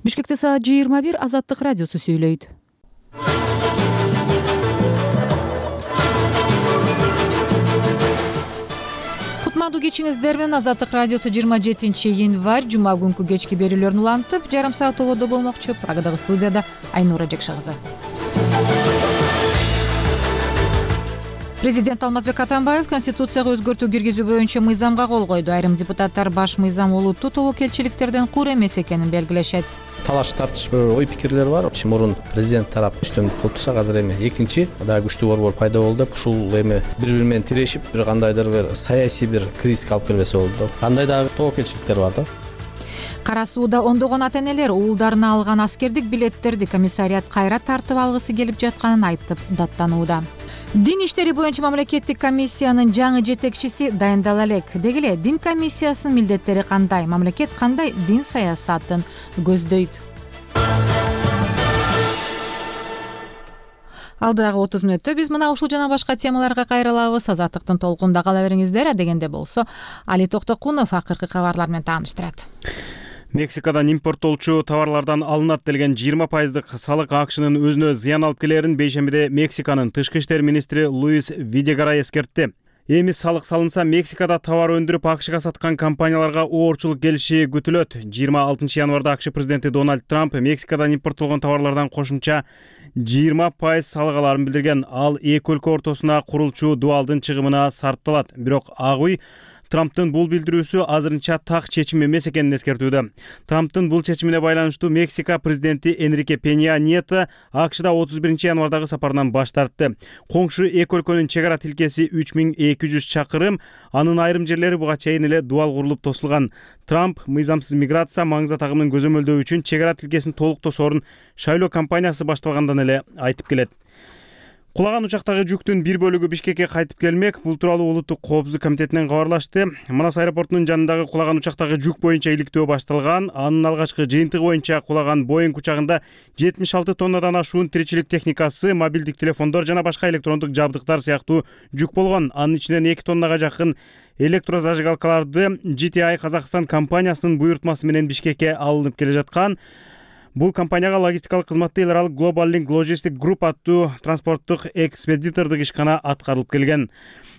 Бишкекте саат 21 Азаттык радиосу сүйлөйт. Кутмандуу кечиңиздер менен Азаттык радиосу 27-январь жума күнкү кечки берүүлөрүн улантып, жарым саат ободо болмокчу. Прагадагы студияда Айнура Жекша кызы. Президент Алмазбек Атамбаев Конституцияга өзгөртүү киргизүү боюнча мыйзамга кол койду. Айрым депутаттар баш мыйзам олуттуу тобокелчиликтерден куур эмес экенин белгилешет. Талаш тартыш ой пикирлер бар. Мурун президент тарап үстөмдүк кылып турса, азыр эми экинчи дагы күчтүү борбор пайда болду деп, ушул эми бири-бири менен тирешип, бир кандайдыр бир саясий бир кризиске алып келбесе болду. Кандай дагы тобокелчиликтер бар да. Кара сууда ондогон ата-энелер уулдарына алган аскердик билеттерди комиссарият кайра тартып алгысы келип жатканын айтып даттанууда. Дин иштери боюнча мамлекеттик комиссиянын жаңы жетекчиси дайындала элек. Деги эле дин комиссиясынын милдеттери кандай, мамлекет кандай дин саясатын көздөйт? Алдыдагы 30 мүнөттө биз мына ушул жана башка темаларга кайрылабыз. Азаттыктын толкунда кала бериңиздер. Адегенде болсо Али Токтокунов акыркы кабарлар менен тааныштырат. Мексикадан импорттолчу товарлардан алынат делген 20% салык акшынын өзүнө зыян алып келерин бейшембиде Мексиканын тышкы иштер министри Луис Видегара эскертти. Эми салык салынса, Мексикада товар өндүрүп АКШга саткан компанияларга оорчулук келиши күтүлөт. 26 январда АКШ президенти Дональд Трамп Мексикадан импорттолгон товарлардан кошумча 20% салык аларын билдирген. Ал эки өлкө ортосуна курулчу дуалдын чыгымына сарпталат. Бирок ак үй Трамптын бул билдирүүсү азырынча так чечим эмес экенин эскертүүдө. Трамптын бул чечимине байланыштуу Мексика президенти Энрике Пенья Nieto АКШда 31 январдагы сапарынан баш тартты. Коңшу эки өлкөнүн чек ара тилкеси 3200 чакырым, анын айрым жерлери буга чейин эле дуал курулуп тосулган. Трамп мыйзамсыз миграция, маңыза тагымын көзөмөлдөө үчүн чек ара тилкесин толук тосоорун шайлоо кампаниясы башталгандан эле айтып келет. Кулаган учактагы жүктүн бир бөлүгү Бишкекке кайтып келмек. Бул тууралуу Улуттук коопсуздук комитетинен кабарлашты. Манас аэропортунун жанындагы кулаган учактагы жүк боюнча иликтөө башталган. Анын алгачкы жыйынтыгы боюнча кулаган Боинг учагында 76 тоннадан ашуун тиричилик техникасы, мобилдик телефондор жана башка электрондук жабдыктар сыяктуу жүк болгон. Анын ичинен 2 тоннага жакын электрозажигалкаларды GTI Казакстан компаниясынын буйртмасы менен Бишкекке алынып келе жаткан. Бул компанияга логистикалык кызматты эл аралык Global Link Logistic Group аттуу транспорттук экспедитордук ишкана аткарылып келген.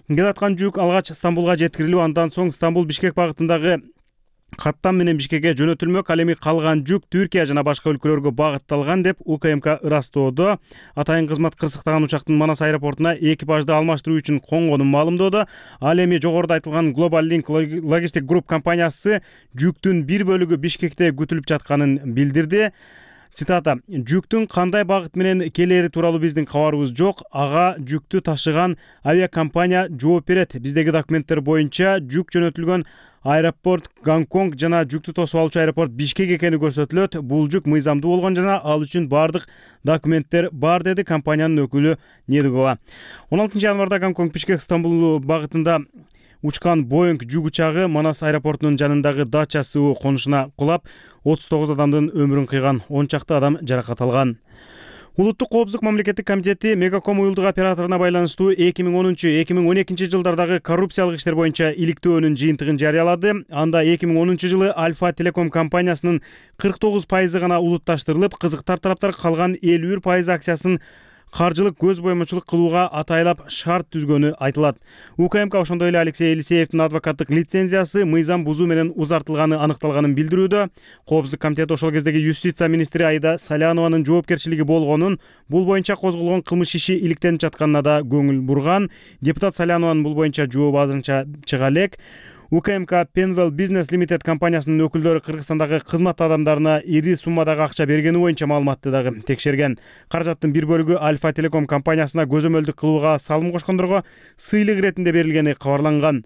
Келаткан жүк алгач Стамбулга жеткирилип, андан соң Стамбул-Бишкек багытындагы каттам менен Бишкекке жөнөтүлмөк. Ал эми калган жүк Түркия жана башка өлкөлөргө багытталган деп УКМК ырастоодо. Атайын кызмат кырсыктаган учактын Манас аэропортуна экипажды алмаштыруу үчүн конгонун маалымдоодо. Ал эми жогоруда айтылган Global Link Logistic Group компаниясы жүктүн бир бөлүгү Бишкекте күтүлүп жатканын билдирди. Цитата: "Жүктүн кандай багыт менен келери тууралуу биздин кабарыбыз жок. Ага жүктү ташыган авиакомпания жооп берет. Биздеги документтер боюнча жүк жөнөтүлгөн аэропорт Гонконг жана жүктү тосуп алуучу аэропорт Бишкек экени көрсөтүлөт. Бул жүк мыйзамдуу болгон жана ал үчүн бардык документтер бар", деди компаниянын өкүлү Недугова. 16 январда Гонконг Бишкек Стамбул багытында учкан Боинг жүк учагы Манас аэропортунун жанындагы Дача суу конушуна кулап, 39 адамдын өмүрүн кыйган, 10 чакты адам жаракат алган. Улуттук коопсуздук мамлекеттик комитети Мегаком уюлдук операторуна байланыштуу 2010-2012 жылдардагы коррупциялык иштер боюнча иликтөөнүн жыйынтыгын жарыялады. Анда 2010 жылы Альфа Телеком компаниясынын 49% гана улутташтырылып, кызыктар тараптар калган 51% акциясын каржылык көз боемочулук кылууга атайлап шарт түзгөнү айтылат. УКМК ошондой эле Алексей Елисеевдин адвокаттык лицензиясы мыйзам бузуу менен узартылганы аныкталганын билдирүүдө. Коопсуздук комитет ошол кездеги юстиция министри Аида Салянованын жоопкерчилиги болгонун, бул боюнча козголгон кылмыш иши иликтенип жатканына да көңүл бурган. Депутат Салянованын бул боюнча жообу азырынча чыга элек. УКМК Penwell Business Limited компаниясынын өкүлдөрү Кыргызстандагы кызмат адамдарына ири суммадагы акча бергени боюнча маалыматты дагы текшерген. Каражаттын бир бөлүгү Альфа Телеком компаниясына көзөмөлдүк кылууга салым кошкондорго сыйлык иретинде берилгени кабарланган.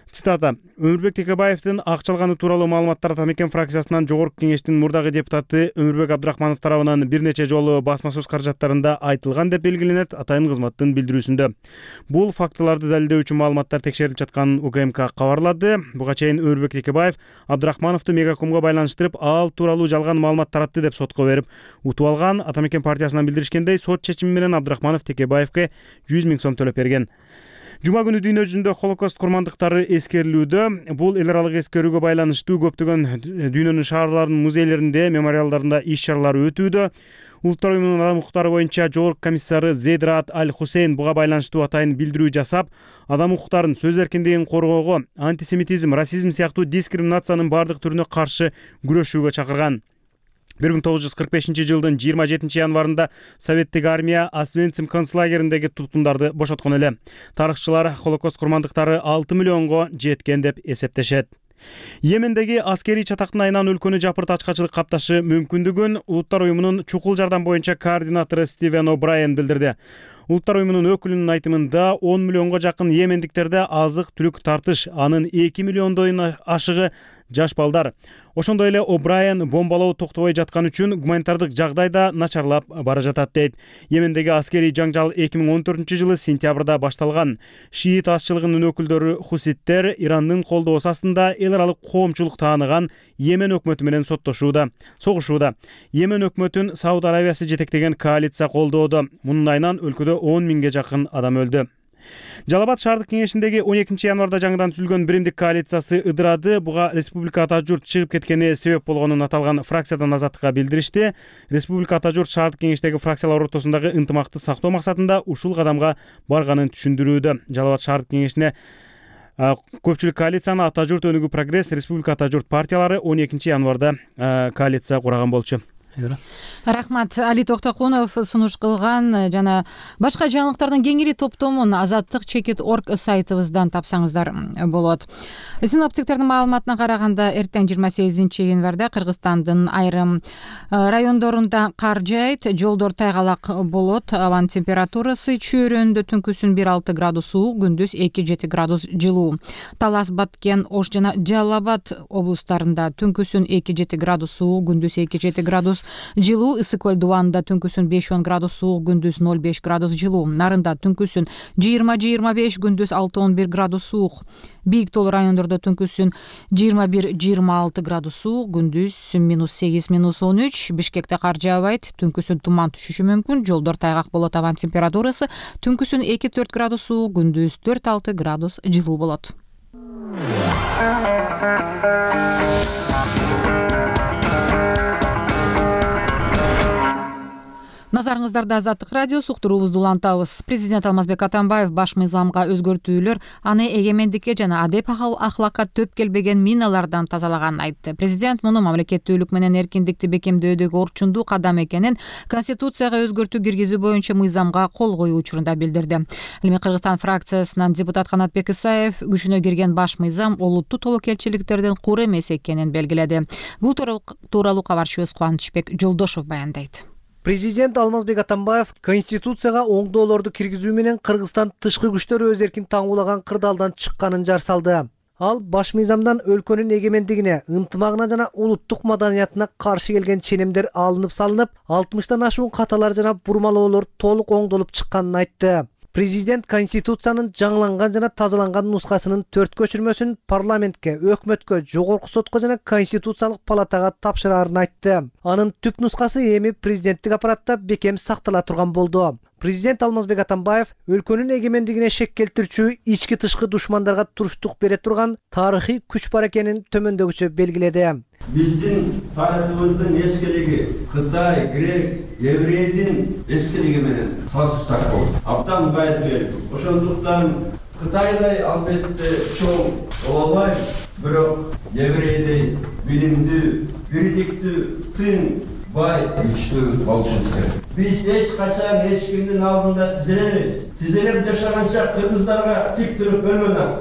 Цитата: "Өмүрбек Текебаевдин акчалганы тууралуу маалыматтар Атамекен фракциясынан жогорку кеңештин мурдагы депутаты Өмүрбек Абдрахманов тарабынан бир нече жолу басма сөз каражаттарында айтылган" деп белгиленет атайын кызматтын билдирүүсүндө. Бул фактыларды далилдөө үчүн маалыматтар текшерилип жатканын УКМК кабарлады. Буга чейин Өмүрбек Текебаев Абдрахмановду Мегакомго байланыштырып, ал тууралуу жалган маалымат таратты деп сотко берип утуп алган. Атамекен партиясынан билдиришкендей, сот чечими менен Абдрахманов Текебаевке 100 000 сом төлөп берген. Жума күнү дүйнө жүзүндө Холокост курмандыктары эскерилүүдө. Бул эл аралык эскерүүгө байланыштуу көптөгөн дүйнөнүн шаарларынын музейлеринде, мемориалдарында иш-чаралар өтүүдө. Улуттар уюмунун адам укуктары боюнча жогорку комиссары Зейд Раат Аль-Хусейн буга байланыштуу атайын билдирүү жасап, адам укуктарын, сөз эркиндигин коргоого, антисемитизм, расизм сыяктуу дискриминациянын бардык түрүнө каршы күрөшүүгө чакырган. 1945-жылдын 27 январында Советтик армия Освенцим концлагериндеги туткундарды бошоткон эле. Тарыхчылар Холокост курмандыктары 6 миллионго жеткен деп эсептешет. Йемендеги аскерий чатактын айынан өлкөнү жапырт ачкачылык капташы мүмкүндүгүн Улуттар уюмунун чукул жардам боюнча координатору Стивен О'Брайен билдирди. Улуттар уюмунун өкүлүнүн айтымында 10 миллионго жакын йемендиктерде азык-түлүк тартыш, анын 2 миллиондон ашыгы жаш балдар. Ошондой эле О'Брайен бомбалоо токтобой жаткан үчүн гуманитардык жагдай да начарлап бара жатат дейт. Йемендеги аскерий жаңжал 2014-жылы сентябрда башталган. Шиит азчылыгынын өкүлдөрү хуситтер Ирандын колдоосу астында эл аралык коомчулук тааныган Йемен өкмөтү менен согушууда. Йемен өкмөтүн Сауд Аравиясы жетектеген коалиция колдоодо. Мунун айынан өлкөдө 10 миңге жакын адам өлдү. Жалал-Абад шаардык кеңешиндеги 12 январда жаңыдан түзүлгөн биримдик коалициясы ыдырады. Буга Республика Ата журт чыгып кеткени себеп болгонун аталган фракциядан Азаттыкка билдиришти. Республика Ата журт шаардык кеңештеги фракциялар ортосундагы ынтымакты сактоо максатында ушул кадамга барганын түшүндүрүүдө. Жалал-Абад шаардык кеңешине көпчүлүк коалицияны Ата журт, Өнүгүү Прогресс, Республика Ата журт партиялары 12 январда коалиция кураган болчу. Рахмат. Али Токтокунов сунуш кылган жана башка жаңылыктардын кеңири топтомун azattik.org сайтыбыздан тапсаңыздар болот. Синоптиктердин маалыматына караганда эртең 28 январда Кыргызстандын айрым райондорунда кар жаайт, жолдор тайгалак болот, абанын температурасы чөйрөндө түнкүсүн 1-6 градус суук, күндүз 2-7 градус жылуу. Талас, Баткен, Ош жана Жалал-Абад облустарында түнкүсүн 2-7 градус суук, күндүз 2-7 градус жылуу. Ысык көл дубанында түнкүсүн 5-10 градус суук, күндүз 0-5 градус жылуу. Нарында түнкүсүн 20-25, күндүз 6-11 градус суук. Бийик тоолуу райондордо түнкүсүн 21-26 градус суук, күндүз -8-13. Бишкекте кар жаабайт, түнкүсүн туман түшүшү мүмкүн, жолдор тайгак болот. Абанын температурасы түнкүсүн 2-4 градус суук, күндүз 4-6 градус жылуу болот. Назарыңыздарда Азаттык радиосу, уктуруубузду улантабыз. Президент Алмазбек Атамбаев баш мыйзамга өзгөртүүлөр аны эгемендикке жана адеп ахлакка төп келбеген миналардан тазалаганын айтты. Президент муну мамлекеттүүлүк менен эркиндикти бекемдөөдөгү орчундуу кадам экенин Конституцияга өзгөртүү киргизүү боюнча мыйзамга кол коюу учурунда билдирди. Ал эми Кыргызстан фракциясынан депутат Канатбек Исаев күчүнө кирген баш мыйзам олуттуу тобокелчиликтердин кур эмес экенин белгиледи. Бул тууралуу кабарчыбыз Кубанычбек Жолдошов баяндайт. Президент Алмазбек Атамбаев Конституцияга оңдоолорду киргизүү менен Кыргызстан тышкы күчтөр өз эркин таңуулаган кырдаалдан чыкканын жар салды. Ал баш мыйзамдан өлкөнүн эгемендигине, ынтымагына жана улуттук маданиятына каршы келген ченемдер алынып салынып, 60тан ашуун каталар жана бурмалоолор толук оңдолуп чыкканын айтты. Президент Конституциянын жаңыланган жана тазаланган нускасынын 4 көчүрмөсүн парламентке, өкмөткө, жогорку сотко жана Конституциялык палатага тапшырарын айтты. Анын түп нускасы эми президенттик аппаратта бекем сактала турган болду. Президент Алмазбек Атамбаев өлкөнүн эгемендигине шек келтирүүчү ички тышкы душмандарга туруштук бере турган тарыхый күч бар экенин төмөндөгүчө белгиледи. Биздин тарыхыбыздын эскилиги Кытай, Грек, еврейдин эскилиги менен салыштырсак болот. Абдан байыт. Ошондуктан Кытайдай албетте чоң боло албайт, бирок еврейдей билимдүү, бийликтүү, тың, бай, күчтүү болушубуз керек. Биз эч качан эч кимдин алдында тизелебейбиз. Тизелеп жашаганча кыргыздарга тик туруп өлгөн.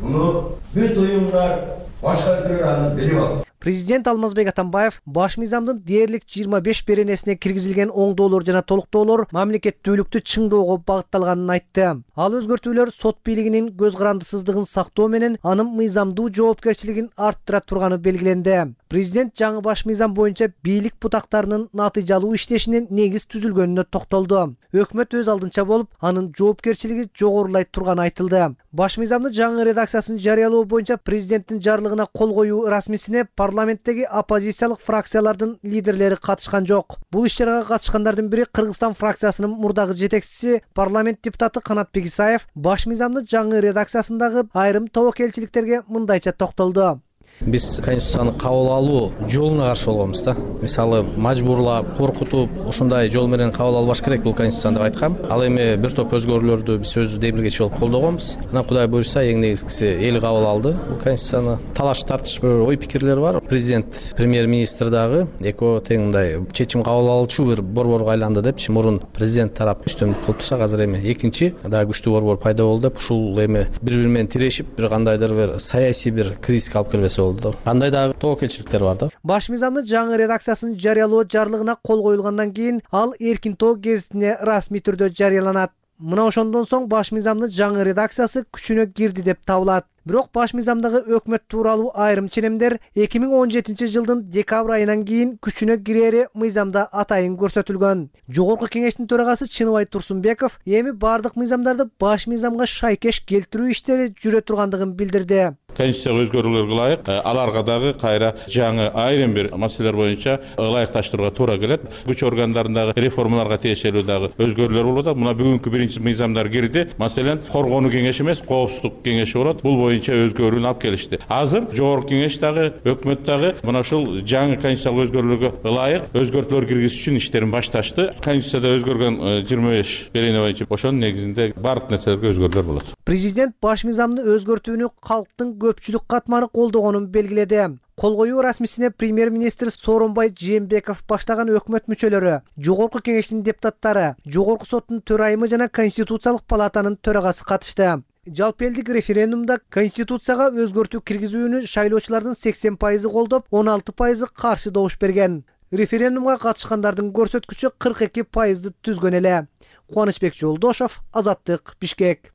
Муну бүт уюмдар башкардырып аны берип алат. Президент Алмазбек Атамбаев баш мыйзамдын дээрлик 25 беренесине киргизилген оңдоолор жана толуктоолор мамлекеттүүлүктү чыңдоого багытталганын айтты. Ал өзгөртүүлөр сот бийлигинин көз карандысыздыгын сактоо менен анын мыйзамдуу жоопкерчилигин арттыра турганы белгиленди. Президент жаңы баш мыйзам боюнча бийлик бутактарынын натыйжалуу иштешинин негиз түзүлгөнүнө токтолду. Өкмөт өз алдынча болуп, анын жоопкерчилиги жогорулай турганы айтылды. Баш мыйзамдын жаңы редакциясын жарыялоо боюнча президенттин жарлыгына кол коюу расмисине парламенттеги оппозициялык фракциялардын лидерлери катышкан жок. Бул иш-чарага катышкандардын бири Кыргызстан фракциясынын мурдагы жетекчиси парламент депутаты Канатбек Исаев баш мыйзамдын жаңы редакциясындагы айрым тобокелчиликтерге мындайча токтолду. Биз конституцияны кабыл алуу жолуна каршы болгонбуз да. Мисалы, мажбурлап, коркутуп, ошондой жол менен кабыл албаш керек бул конституцияны деп айткам. Ал эми бир топ өзгөрүүлөрдү биз өз демилгечи болуп колдогонбуз. Анан Кудай буйрса, эң негизгиси эл кабыл алды. Бул конституцияны талаш тартыш бир ой пикирлер бар. Президент, премьер-министр дагы экөө тең мындай чечим кабыл алуучу бир борборго айланды деп мурун президент тарап үстөмдүк кылып турса, азыр эми экинчи дагы күчтүү борбор пайда болду деп ушул эми бири-бири менен тирешип, бир кандайдыр бир саясий бир кризиске алып келбесе болду. Кандай дагы тобокелчиликтер бар да. Баш мыйзамдын жаңы редакциясын жарыялоо жарлыгына кол коюлгандан кийин ал Эркин Тоо гезитине расмий түрдө жарыяланат. Мына ошондон соң баш мыйзамдын жаңы редакциясы күчүнө кирди деп табылат. Бирок баш мыйзамдагы өкмөт тууралуу айрым ченемдер 2017 жылдын декабрь айынан кийин күчүнө кирери мыйзамда атайын көрсөтүлгөн. Жогорку кеңештин төрагасы Чыныбай Турсунбеков эми бардык мыйзамдарды баш мыйзамга шайкеш келтирүү иштери жүрө тургандыгын билдирди. Конституцияга өзгөрүүлөргө ылайык аларга дагы кайра жаңы айрым бир маселелер боюнча ылайыкташтырууга туура келет. Күч органдарындагы реформаларга тиешелүү дагы өзгөрүүлөр болуп атат. Мына бүгүнкү биринчи мыйзамдар кирди. Маселен, коргонуу кеңеши эмес, коопсуздук кеңеши болот. Бул боюнча өзгөрүүнү алып келишти. Азыр жогорку кеңеш дагы, өкмөт дагы мына ушул жаңы конституциялык өзгөрүүлөргө ылайык өзгөртүүлөр киргизиш үчүн иштерин башташты. Конституцияда өзгөргөн 25 берене боюнча ошонун негизинде бардык нерселерге өзгөрүүлөр болот. Президент баш мыйзамды өзгөртүүнү калктын көпчүлүк катмары колдогонун белгиледи. Кол коюу расмисине премьер-министр Сооронбай Жээнбеков баштаган өкмөт мүчөлөрү, жогорку кеңештин депутаттары, жогорку соттун төрайымы жана Конституциялык палатанын төрагасы катышты. Жалпы элдик референдумда Конституцияга өзгөртүү киргизүүнү шайлоочулардын 80% колдоп, 16% каршы добуш берген. Референдумга катышкандардын көрсөткүчү 42%ды түзгөн эле. Кубанычбек Жолдошов, Азаттык, Бишкек.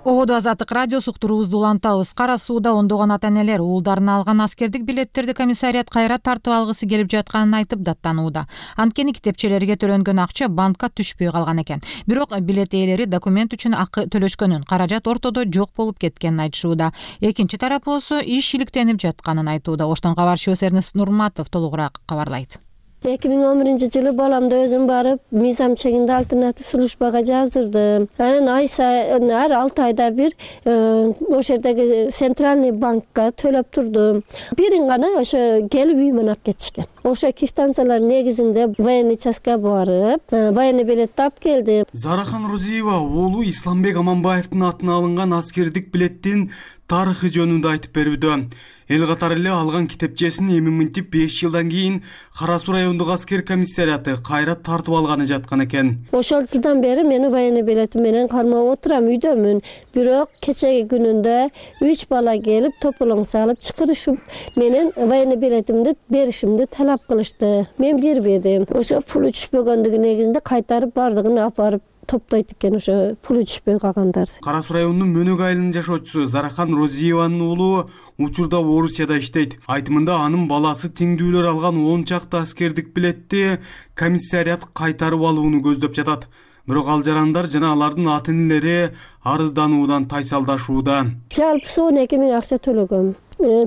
Ободо Азаттык радиосу уктуруубузду улантабыз. Кара сууда ондогон ата-энелер уулдарына алган аскердик билеттерди комиссарият кайра тартып алгысы келип жатканын айтып даттанууда. Анткени китепчелерге төлөнгөн акча банкка түшпөй калган экен. Бирок билет ээлери документ үчүн акы төлөшкөнүн, каражат ортодо жок болуп кеткенин айтышууда. Экинчи тарап болсо иш иликтенип жатканын айтууда. Оштон кабарчыбыз Эрнест Нурматов толугураак кабарлайт. 2011 жылы баламды өзүм барып, мыйзам чегинде альтернатив службага жаздырдым. Анан ай сайын ар 6 айда бир ошол жердеги центральный банкка төлөп турдум. Бирин гана ошо келип үйүмөн алып кетишкен. Ошо квитанциялар негизинде военный частка барып, военный билетти алып келдим. Зарахан Розиева оолу Исламбек Аманбаевдин атына алынган аскердик билеттин тарыхы жөнүндө айтып берүүдө. Эл катары эле алган китепчесин эми мынтип 5 жылдан кийин Кара Суу райондук аскер комиссарияты кайра тартып алганы жаткан экен. Ошол жылдан бери мени военный билетим менен кармап отурам, үйдөмүн. Бирок кечеги күнүндө 3 бала келип тополоң салып чакырышып, менен военный билетимди беришимди талап кылышты. Мен бербедим. Ошо пулу түшпөгөндүгү негизинде кайтарып бардыгын алып барып топтойт экен, ошо пулу түшпөй калгандар. Кара Суу районунун Мөнөк айылынын жашоочусу Зарахан Розиеванын уулу учурда Орусияда иштейт. Айтымында анын баласы теңдүүлөр алган 10 чакты аскердик билетти комиссарият кайтарып алууну көздөп жатат. Бирок ал жарандар жана алардын ата-энелери арыздануудан тайсалдашууда. Жалпы 12 миң акча төлөгөм.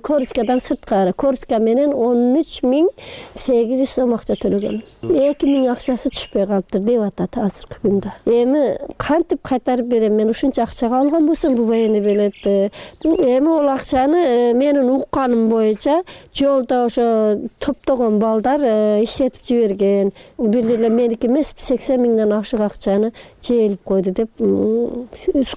Корочкадан сырткары. Корочка менен 13.800 сом акча төлөгөм. 2 миң акчасы түшпөй калыптыр деп атат азыркы күндө. Эми кантип кайтарып берем? Мен ушунча акчага алган болсом бу военный билетти. Эми ол акчаны менин укканым боюнча жолдо ошо топтогон балдар иштетип жиберген. Бир эле меники эмес 80 миңден ашык акчаны жээлип койду деп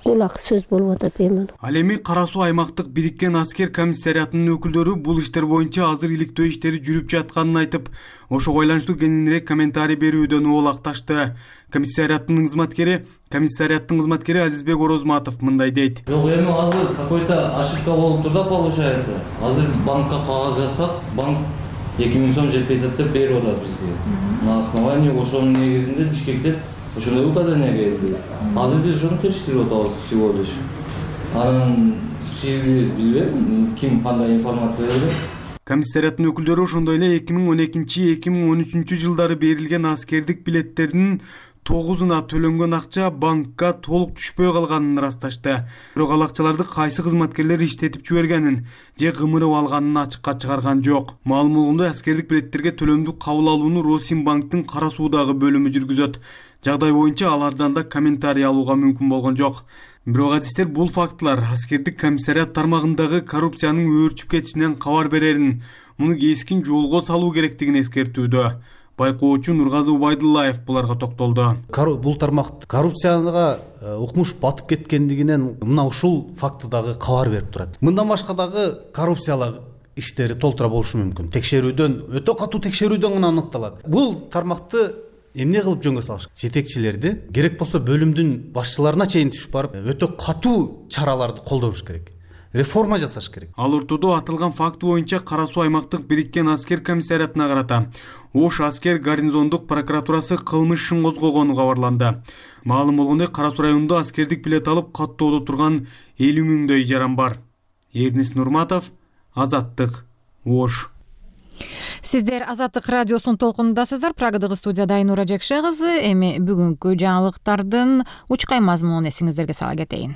кулак сөз болуп атат эми. Ал эми Кара Суу аймактык бириккен аскер комиссариятынын өкүлдөрү бул иштер боюнча азыр иликтөө иштери жүрүп жатканын айтып, ошого байланыштуу кеңирээк комментарий берүүдөн оолакташты. Комиссарияттын кызматкери Азизбек Орозматов мындай дейт. Жок, эми азыр какой-то ошибка болуп тур да, получается. Азыр банкка кагаз жазсак, банк 2 миң сом жетпей деп берип атат бизге. На основании ошонун негизинде Бишкекте ошондой указание келди. Азыр биз ошону териштирип атабыз всего лишь. Анан билбейм, ким кандай информация берет. Комиссарияттын өкүлдөрү ошондой эле 2012-2013 жылдары берилген аскердик билеттердин 9-уна төлөнгөн акча банкка толук түшпөй калганын ырасташты. Бирок ал акчаларды кайсы кызматкерлер иштетип жибергенин же кымырып алганын ачыкка чыгарган жок. Маалым болгондой, аскердик билеттерге төлөмдү кабыл алууну Росинбанктын Кара Суудагы бөлүмү жүргүзөт. Жагдай боюнча алардан да комментарий алууга мүмкүн болгон жок. Бирок адистер бул фактылар аскердик комиссарият тармагындагы коррупциянын өөрчүп кетишинен кабар берерин, муну кескин жолго салуу керектигин эскертүүдө. Байкоочу Нургазы Убайдуллаев буларга токтолду. Бул тармак коррупцияга укмуш батып кеткендигинен мына ушул факты дагы кабар берип турат. Мындан башка дагы коррупциялык иштери толтура болушу мүмкүн. Текшерүүдөн, өтө катуу текшерүүдөн гана аныкталат. Бул тармакты эмне кылып жөнгө салыш? Жетекчилерди, керек болсо бөлүмдүн башчыларына чейин түшүп барып, өтө катуу чараларды колдонуш керек. Реформа жасаш керек. Ал ортодо атылган факт боюнча Кара Суу аймактык бириккен аскер комиссариятына карата Ош аскер гарнизондук прокуратурасы кылмыш ишин козгогону кабарланды. Маалым болгондой, Кара Суу районунда аскердик билет алып каттоодо турган 50 миңдөй жаран бар. Эрнис Нурматов, Азаттык, Ош. Сиздер Азаттык радиосунун толкунундасыздар. Прагадагы студияда Айнура Жекше кызы. Эми бүгүнкү жаңылыктардын учкай мазмунун эсиңиздерге сала кетейин.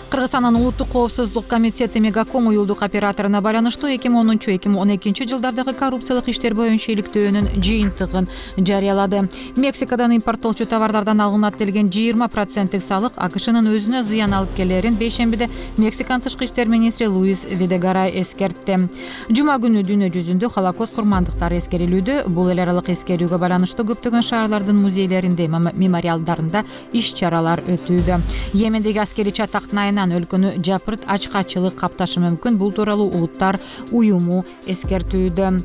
Кыргызстандын улуттук коопсуздук комитети Мегаком уюлдук операторуна байланыштуу 2010-2012 жылдардагы коррупциялык иштер боюнча иликтөөнүн жыйынтыгын жарыялады. Мексикадан импорттолчу товарлардан алынат делген 20% салык АКШнын өзүнө зыян алып келерин бейшембиде Мексиканын тышкы иштер министри Луис Видегарай эскертти. Жума күнү дүйнө жүзүндө Холокост курмандыктары эскерилүүдө. Бул эл аралык эскерүүгө байланыштуу көптөгөн шаарлардын музейлеринде, мемориалдарында иш-чаралар өтүүдө. Йемендеги аскерий чатактын өлкөнү жапырт ачкачылык капташы мүмкүн. Бул тууралуу Улуттар уюму эскертүүдө.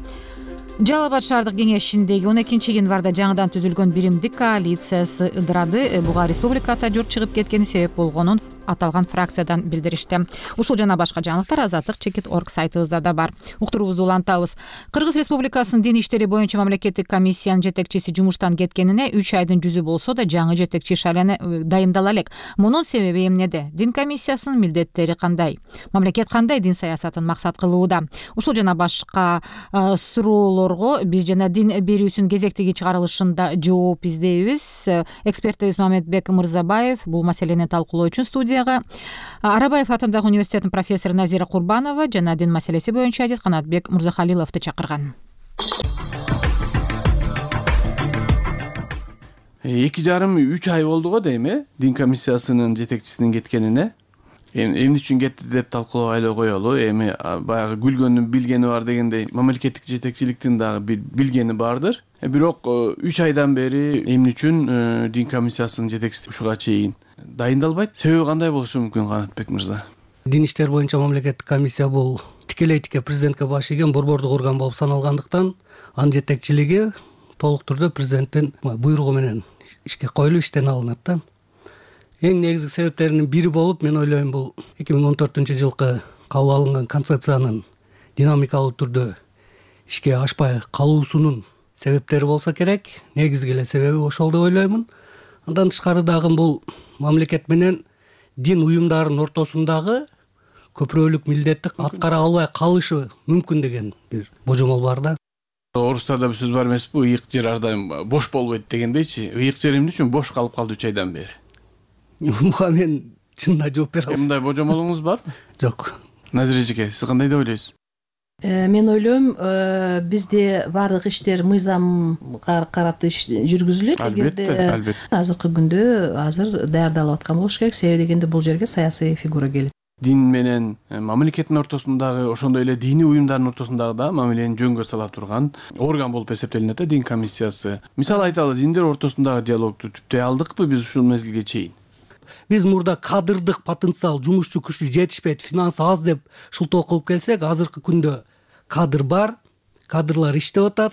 Жалал Абад шаардык кеңешиндеги 12-январда жаңыдан түзүлгөн биримдик коалициясы ыдырады. Буга республикада журт чыгып кеткени себеп болгонун аталган фракциядан билдиришти. Ушул жана башка жаңылыктар Азаттык.org сайтыбызда да бар. Уктуруубузду улантабыз. Кыргыз Республикасынын дин иштери боюнча мамлекеттик комиссиянын жетекчиси жумуштан кеткенине 3 айдын жүзү болсо да жаңы жетекчи шайлана дайындала элек. Мунун себеби эмнеде? Дин комиссиясынын милдеттери кандай? Мамлекет кандай дин саясатын максат кылууда? Ушул жана башка суроолорго биз жана дин берүүсүнүн кезектеги чыгарылышында жооп издейбиз. Экспертибиз Мамедбек Мырзабаев бул маселени талкуулоо үчүн студияга Арабаев атындагы университеттин профессору Назира Курбанова жана дин маселеси боюнча адис Канатбек Мурзахалиловду чакырган. 2,5-3 ай болду го дейм, дин комиссиясынын жетекчисинин кеткенине. Эмне үчүн кетти деп талкуулоо эле коелу. Эми баягы күлгөндүн билгени бар дегендей, мамлекеттик жетекчиликтин дагы билгени бардыр. Бирок 3 айдан бери эмне үчүн дин комиссиясынын жетекчиси ушуга чейин дайындалбайт? Себеби кандай болушу мүмкүн, Канатбек мырза? Дин иштер боюнча мамлекеттик комиссия бул тикелей президентке баш ийген борбордук орган болуп саналгандыктан, анын жетекчилиги толук түрдө президенттин буйругу менен ишке коюлуп иштен алынат да. Эң негизги себептеринин бири болуп, мен ойлойм, бул 2014 жылкы кабыл алынган концепциянын динамикалуу түрдө ишке ашпай калуусунун себептери болсо керек. Негизги эле себеби ошол деп ойлоймун. Андан тышкары дагы бул мамлекет менен дин уюмдарынын ортосундагы көпүрөлүк милдетти аткара албай калышы мүмкүн деген бир божомол бар да. Орустарда бир сөз бар эмеспи? Ыйык жер ар дайым бош болбойт дегендейчи. Ыйык жер эмне үчүн бош калып калды 3 айдан бери? Буга мен чынында жооп бере албайм. Мындай божомолуңуз барбы? Жок. Назира эжеке, сиз кандай деп ойлойсуз? Мен ойлойм, бизде баардык иштер мыйзамга карата жүргүзүлөт. Албетте. Азыркы күндө даярдалып аткан болуш керек. Себеби дегенде бул жерге саясий фигура келет. Дин менен мамлекеттин ортосундагы, ошондой эле диний уюмдардын ортосундагы да мамилени жөнгө сала турган орган болуп эсептелинет да дин комиссиясы. Мисалы айталы, диндер ортосундагы диалогду түптөй алдыкпы биз ушул мезгилге чейин? Биз мурда кадырдык потенциал, жумушчу күчү жетишпейт, финанс аз деп шылтоо кылып келсек, азыркы күндө кадыр бар, кадрлар иштеп атат.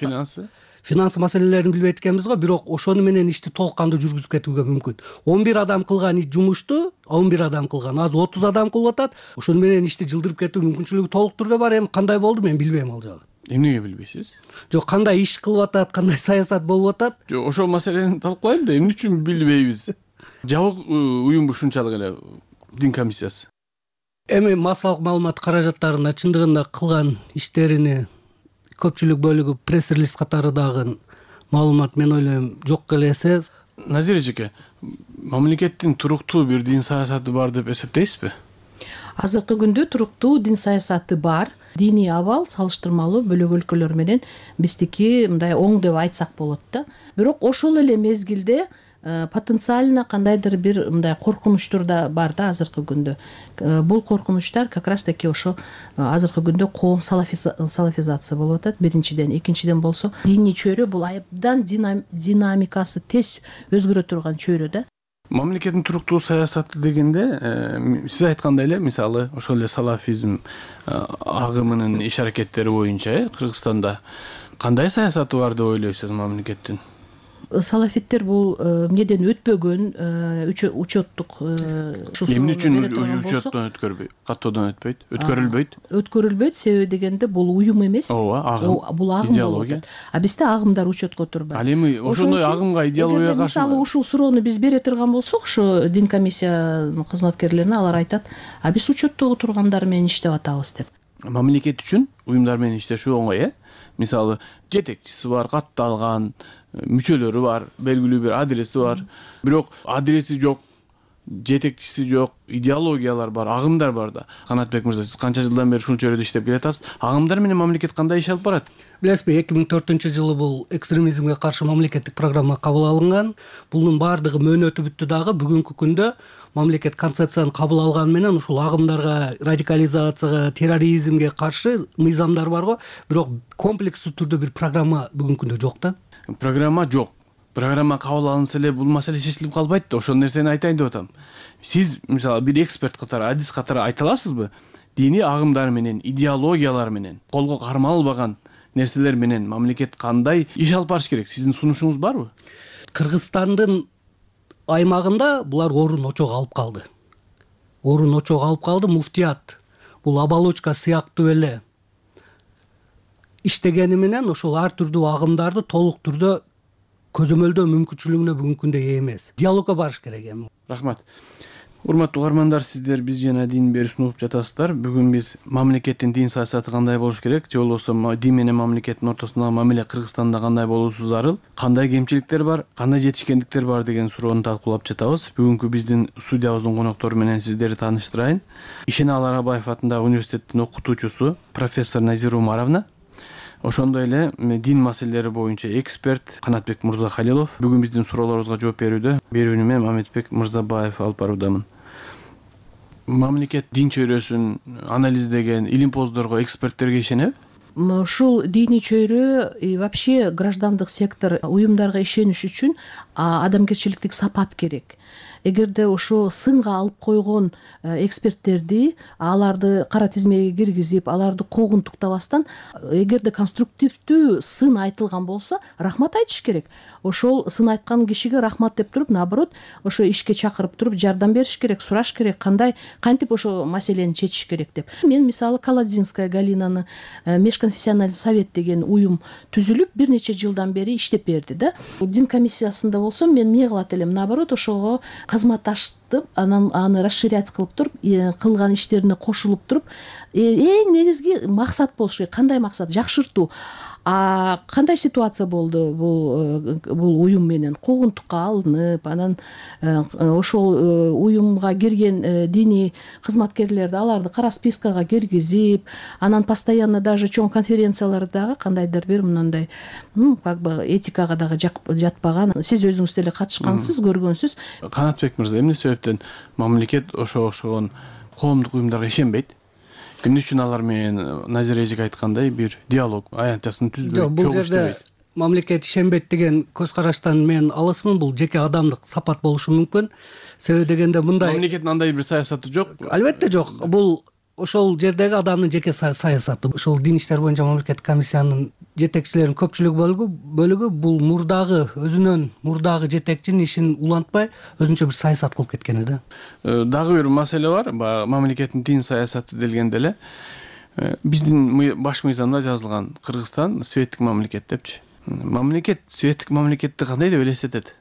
Финанс маселелерин билбейт экенбиз го, бирок ошону менен ишти толук кандуу жүргүзүп кетүүгө мүмкүн. 11 адам кылган жумушту 11 адам кылган, азыр 30 адам кылып атат. Ошону менен ишти жылдырып кетүү мүмкүнчүлүгү толук түрдө бар. Эми кандай болду мен билбейм ал жагын. Эмнеге билбейсиз? Жок, кандай иш кылып атат, кандай саясат болуп атат? Жок, ошол маселени талкуулайм да, эмне үчүн билбейбиз? Жабык уюмбу ушунчалык эле дин комиссиясы? Эми массалык маалымат каражаттарына чындыгында кылган иштерини көпчүлүк бөлүгү пресс-релиз катары дагы маалымат мен ойлойм жок элесе. Назир эжеке, мамлекеттин туруктуу бир дин саясаты бар деп эсептейсизби? Азыркы күндө туруктуу дин саясаты бар. Диний абал салыштырмалуу бөлөк өлкөлөр менен биздики мындай оң деп айтсак болот да. Бирок ошол эле мезгилде потенциально кандайдыр бир мындай коркунучтар да бар да азыркы күндө. Бул коркунучтар как раз таки ошо азыркы күндө коом салафизация болуп атат биринчиден. Экинчиден болсо диний чөйрө бул абдан динамикасы тез өзгөрө турган чөйрө да. Мамлекеттин туруктуу саясаты дегенде сиз айткандай эле мисалы ошол эле салафизм агымынын иш аракеттери боюнча Кыргызстанда кандай саясаты бар деп ойлойсуз мамлекеттин? Салафиттер бул эмнеден өтпөгөн учеттук эмне үчүн учеттон өткөрбөйт, каттоодон өтпөйт, өткөрүлбөйт себеби дегенде бул уюм эмес, бул агым болуп атат. А бизде агымдар учетко турбайт. Ал эми ошондой агымга идеология каршы. Мисалы ушул суроону биз бере турган болсок, ошо дин комиссиянын кызматкерлерине алар айтат, а биз учеттогу тургандар менен иштеп атабыз деп. Мамлекет үчүн уюмдар менен иштешүү оңой, Мисалы жетекчиси бар, катталган, мүчөлөрү бар, белгилүү бир адреси бар. Бирок адреси жок, жетекчиси жок, идеологиялар бар, агымдар бар да. Канатбек мырза, сиз канча жылдан бери ушул чөйрөдө иштеп келатасыз? Агымдар менен мамлекет кандай иш алып барат? Билесизби, 2004-жылы бул экстремизмге каршы мамлекеттик программа кабыл алынган. Бунун баардыгы мөөнөтү бүттү дагы бүгүнкү күндө мамлекет концепцияны кабыл алган менен ушул агымдарга, радикализацияга, терроризмге каршы мыйзамдар бар го, бирок комплекстүү түрдө бир программа бүгүнкү күндө жок да. Программа жок. Программа кабыл алынса эле бул маселе чечилип калбайт да. Ошол нерсени айтайын деп атам. Сиз мисалы бир эксперт катары, адис катары айта аласызбы? Диний агымдар менен, идеологиялар менен, колго кармалбаган нерселер менен мамлекет кандай иш алып барыш керек? Сиздин сунушуңуз барбы? Кыргызстандын аймагында булар орун очого алып калды. Орун очого алып калды. Муфтият бул оболочка сыяктуу эле иштегени менен ошол ар түрдүү агымдарды толук түрдө көзөмөлдөө мүмкүнчүлүгүнө бүгүнкү күндө ээ эмес. Диалогко барыш керек эми. Рахмат. Урматтуу угармандар, сиздер биз жана дин берүүсүн угуп жатасыздар. Бүгүн биз мамлекеттин дин саясаты кандай болуш керек, же болбосо дин менен мамлекеттин ортосундагы мамиле Кыргызстанда кандай болуусу зарыл, кандай кемчиликтер бар, кандай жетишкендиктер бар деген суроону талкуулап жатабыз. Бүгүнкү биздин студиябыздын коноктору менен сиздерди тааныштырайын. Ишеналы Арабаев атындагы университеттин окутуучусу профессор Назира Умаровна, ошондой эле дин маселелери боюнча эксперт Канатбек Мырзахалилов бүгүн биздин суроолорубузга жооп берүүдө. Берүүнү мен Мамедбек Мырзабаев алып баруудамын. Мамлекет дин чөйрөсүн анализдеген илимпоздорго, эксперттерге ишенеби? Ушул диний чөйрө вообще граждандык сектор уюмдарга ишениш үчүн адамгерчиликтик сапат керек. Эгерде ошо сынга алып койгон эксперттерди, аларды кара тизмеге киргизип, аларды куугунтуктабастан, эгерде конструктивдүү сын айтылган болсо, рахмат айтыш керек. Ошол сын айткан кишиге рахмат деп туруп, наоборот, ошо ишке чакырып туруп, жардам бериш керек, сураш керек, кантип ошо маселени чечиш керек деп. Мен мисалы Каладзинская Галинаны межконфессиональный совет деген уюм түзүлүп, бир нече жылдан бери иштеп берди да. Дин комиссиясында болсо мен эмне кылат элем, наоборот, ошого кызматташтып, анан аны расширять кылып туруп, кылган иштерине кошулуп туруп, эң негизги максат болуш керек. Кандай максат? Жакшыртуу. Кандай ситуация болду бул уюм менен? Куугунтукка алынып, анан ошол уюмга кирген диний кызматкерлерди аларды кара спискага киргизип, анан постоянно даже чоң конференциялардагы кандайдыр бир мындай как бы этикага дагы жатпаган, сиз өзүңүз деле катышкансыз, көргөнсүз. Канатбек мырза, эмне себептен мамлекет ошогон коомдук уюмдарга ишенбейт? Эмне үчүн алар менен Назира эжеке айткандай бир диалог аянтчасын түзбөйт? Бул жерде мамлекет ишенбейт деген көз караштан мен алысмын. Бул жеке адамдык сапат болушу мүмкүн. Себеби дегенде мындай мамлекеттин андай бир саясаты жок. Албетте жок. Бул ошол жердеги адамдын жеке саясаты. Ошол дин иштер боюнча мамлекеттик комиссиянын жетекчилеринин көпчүлүк бөлүгү бул өзүнөн мурдагы жетекчинин ишин улантпай өзүнчө бир саясат кылып кеткени да. Дагы бир маселе бар. Мамлекеттин дин саясаты делгенде эле биздин баш мыйзамда жазылган Кыргызстан светтик мамлекет депчи. Мамлекет светтик мамлекетти кандай деп элестетет?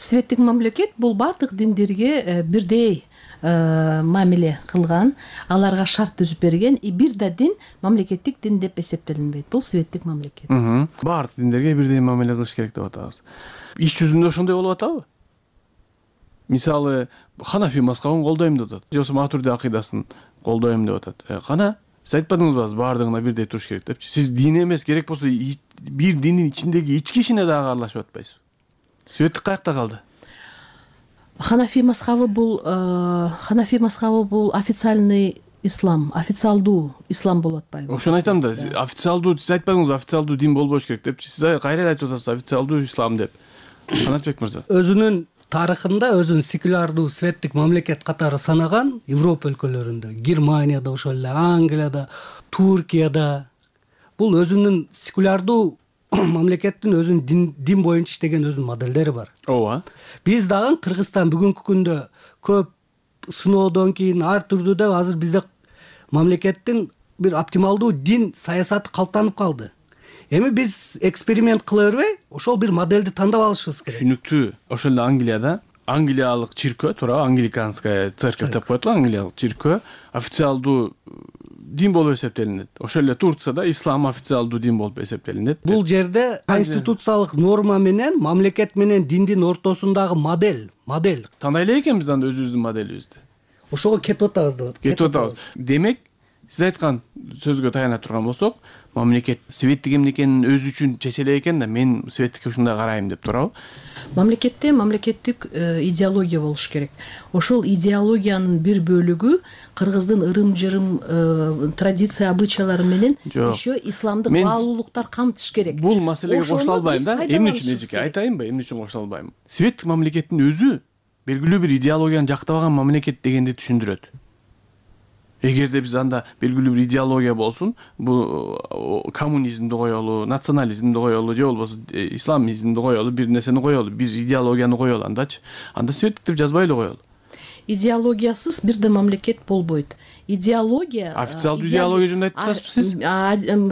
светтик мамлекет бул бардык диндерге бирдей мамиле кылган, аларга шарт түзүп берген, бир да дин мамлекеттик дин деп эсептелинбейт. Бул светтик мамлекет. Бардык диндерге бирдей мамиле кылыш керек деп атабыз. Иш жүзүндө ошондой болуп атабы? Мисалы, Ханафи мазхабын колдойм деп атат. Же Матурди акыйдасын колдойм деп атат. Кана сиз айтпадыңызбы, бардыгына бирдей туруш керек депчи? Сиз дин эмес, керек болсо бир диндин ичиндеги ички ишине дагы аралашып атпайсызбы? Светтик каякта калды? Ханафи мазхабы бул официальный ислам, официалдуу ислам болуп атпайбы? Ошону айтам да, официалдуу, сиз айтпадыңызбы, официалдуу дин болбош керек депчи. Сиз кайра айтып атасыз официалдуу ислам деп. Канатбек мырза. Өзүнүн тарыхында өзүн секулярдуу светтик мамлекет катары санаган Европа өлкөлөрүндө, Германияда, ошол эле Англияда, Туркияда бул өзүнүн секулярдуу мамлекеттин өзүнүн дин боюнча иштеген өзүнүн модельдери бар. Ооба. Биз дагы Кыргызстан бүгүнкү күндө көп сыноодон кийин ар түрдүү деп азыр бизде мамлекеттин бир оптималдуу дин саясаты калыптанып калды. Эми биз эксперимент кыла бербей, ошол бир модельди тандап алышыбыз керек. Түшүнүктүү. Ошол эле Англияда англиялык чиркөө, туура, англиканская церковь деп коет го, англиялык чиркөө официалдуу дин болуп эсептелинет. Ошол эле Турцияда ислам официалдуу дин болуп эсептелинет. Бул жерде конституциялык норма менен мамлекет менен диндин ортосундагы модель тандай эле экенбиз анда өзүбүздүн моделибизди. Ошого кетип атабыз деп. Кетип атабыз. Демек, сиз айткан сөзгө таяна турган болсок, мамлекет светтик эмнекенин өзү үчүн чече элек экен да, мен светтикке ушундай карайм деп турабы? Мамлекетте мамлекеттик идеология болуш керек. Ошол идеологиянын бир бөлүгү кыргыздын ырым-жырым традиция, обычайлары менен еще исламдык баалуулуктар камтыш керек. Бул маселеге кошула албайм да. Эмне үчүн эжеке айтайынбы? Эмне үчүн кошула албайм? Светтик мамлекеттин өзү белгилүү бир идеологияны жактабаган мамлекет дегенди түшүндүрөт. Эгерде биз анда белгилүү бир идеология болсун, бул коммунизмди коелу, национализмди коелу, же болбосо исламизмди коелу, бир нерсени коелу, бир идеологияны коелу андачы. Анда светтик деп жазбай эле коелу. Идеологиясыз бир да мамлекет болбойт. Идеология официалдуу идеология жөнүндө айтып атасызбы сиз?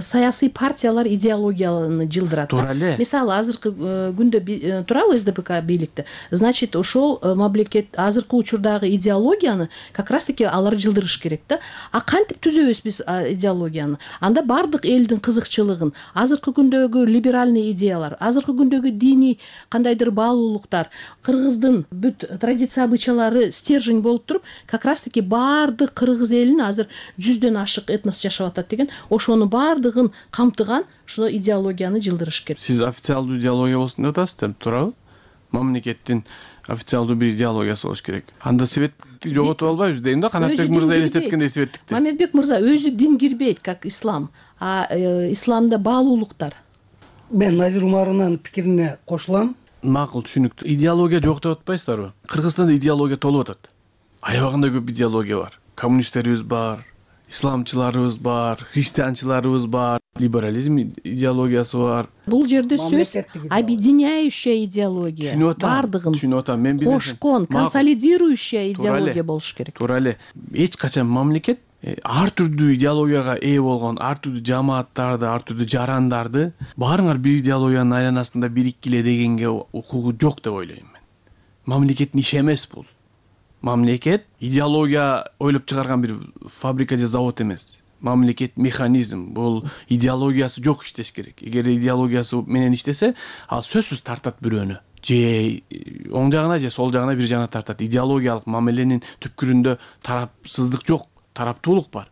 Саясий партиялар идеологияны жылдырат. Туура эле. Мисалы азыркы күндө турабы СДПК бийликте. Значит, ошол мамлекет азыркы учурдагы идеологияны как раз таки алар жылдырыш керек да. Кантип түзөбүз биз идеологияны? Анда бардык элдин кызыкчылыгын, азыркы күндөгү либеральный идеялар, азыркы күндөгү диний кандайдыр баалуулуктар, кыргыздын бүт традиция обычайлары стержень болуп туруп, как раз таки бардык кыргыз азыр 100дөн ашык этнос жашап атат деген, ошонун бардыгын камтыган ушул идеологияны жылдырыш керек. Сиз официалдуу идеология болсун деп атасыз деп турабы? Мамлекеттин официалдуу бир идеологиясы болуш керек. Анда светтикти жоготуп албайбыз дейм да, Канатбек мырза элестеткендей светтикти. Мамедбек мырза, өзү дин кирбейт как ислам, исламда баалуулуктар. Мен Назир Умаровнун пикирине кошулам. Макул, түшүнүктүү. Идеология жок деп атпайсыздарбы? Кыргызстанда идеология толуп атат. Аябагандай көп идеология бар. Коммунисттерибиз бар, исламчыларыбыз бар, христианчыларыбыз бар, либерализм идеологиясы бар. Бул жерде сөз объединяющая идеология. Бардыгын түшүнүп атам. Мен кошкон, консолидирующая идеология болуш керек. Туура эле. Эч качан мамлекет ар түрдүү идеологияга ээ болгон, ар түрдүү жамааттарды, ар түрдүү жарандарды баарыңар бир идеологиянын айланасында бириккиле дегенге укугу жок деп ойлойм мен. Мамлекеттин иши эмес бул. Мамлекет идеология ойлоп чыгарган бир фабрика же завод эмес. Мамлекет механизм, бул идеологиясы жок иштеш керек. Эгер идеологиясы менен иштесе, ал сөзсүз тартат бирөөнү. Же оң жагына же сол жагына бир жагына тартат. Идеологиялык мамиленин түпкүрүндө тарапсыздык жок, тараптуулук бар.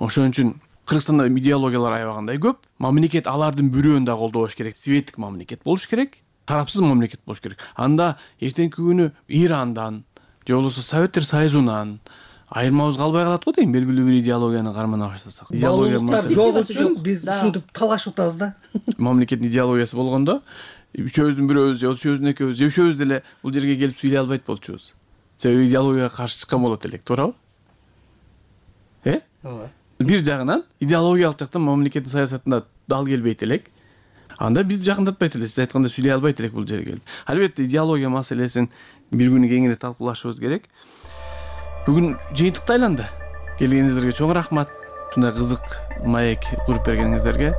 Ошон үчүн Кыргызстанда идеологиялар аябагандай көп. Мамлекет алардын бирөөнү да колдобош керек. Светтик мамлекет болуш керек, тарапсыз мамлекет болуш керек. Анда эртеңки күнү Ирандан же болбосо Советтер Союзунан айырмабыз калбай калат го дейм, белгилүү бир идеологияны кармана баштасак. Идеологиялар жок үчүн биз ушинтип талашып атабыз да. Мамлекеттин идеологиясы болгондо үчөөбүздүн бирөөбүз же үчөөбүздүн экөөбүз же үчөөбүз деле бул жерге келип сүйлөй албайт болчубуз. Себеби идеологияга каршы чыккан болот элек, туурабы? Ооба. Бир жагынан идеологиялык жактан мамлекеттин саясатына дал келбейт элек. Анда биз жакындатпайт эле, сиз айткандай сүйлөй албайт элек бул жерге келип. Албетте идеология маселесин бир күнү кеңири талкуулашыбыз керек. Бүгүн жыйынтыкты айланды. Келгениңиздерге чоң рахмат. Ушундай кызык маек куруп бергениңиздерге.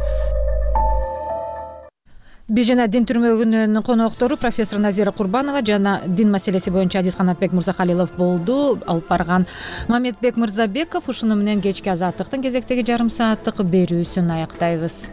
Биз жана дин түрмөгүнүн коноктору профессор Назира Курбанова жана дин маселеси боюнча Азиз Канатбек Мырзахалилов болду. Алып барган Мамедбек Мырзабеков. Ушуну менен кечки азаттыктын кезектеги жарым сааттык берүүсүн аяктайбыз.